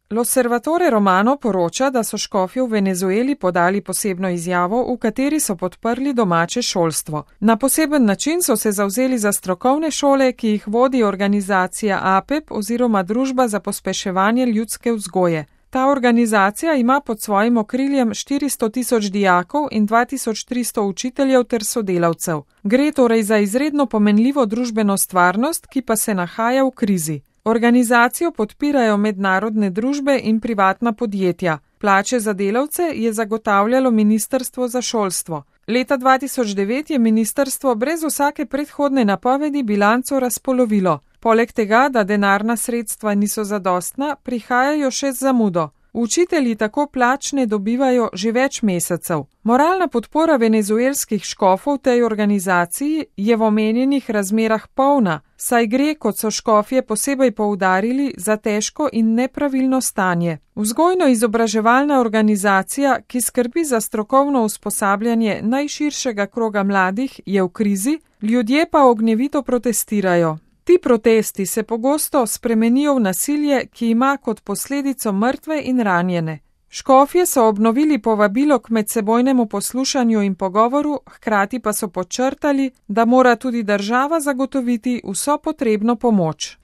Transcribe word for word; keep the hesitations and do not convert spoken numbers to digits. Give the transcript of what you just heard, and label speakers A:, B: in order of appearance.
A: L'Osservatore Romano poroča, da so škofje v Venezueli podali posebno izjavo, v kateri so podprli domače šolstvo. Na poseben način so se zavzeli za strokovne šole, ki jih vodi organizacija A P E P oziroma Družba za pospeševanje ljudske vzgoje. Ta organizacija ima pod svojim okriljem štiristo tisoč dijakov in dva tisoč tristo učiteljev ter sodelavcev. Gre torej za izredno pomenljivo družbeno stvarnost, ki pa se nahaja v krizi. Organizacijo podpirajo mednarodne družbe in privatna podjetja. Plače za delavce je zagotavljalo Ministrstvo za šolstvo. Leta dva tisoč devet je ministrstvo brez vsake predhodne napovedi bilanco razpolovilo. Poleg tega, da denarna sredstva niso zadostna, prihajajo še z zamudo. Učitelji tako plač ne dobivajo že več mesecev. Moralna podpora venezuelskih škofov tej organizaciji je v omenjenih razmerah polna, saj gre, kot so škofje posebej poudarili, za težko in nepravilno stanje. Vzgojno-izobraževalna organizacija, ki skrbi za strokovno usposabljanje najširšega kroga mladih, je v krizi, ljudje pa ognjevito protestirajo. Ti protesti se pogosto spremenijo v nasilje, ki ima kot posledico mrtve in ranjene. Škofje so obnovili povabilo k medsebojnemu poslušanju in pogovoru, hkrati pa so podčrtali, da mora tudi država zagotoviti vso potrebno pomoč.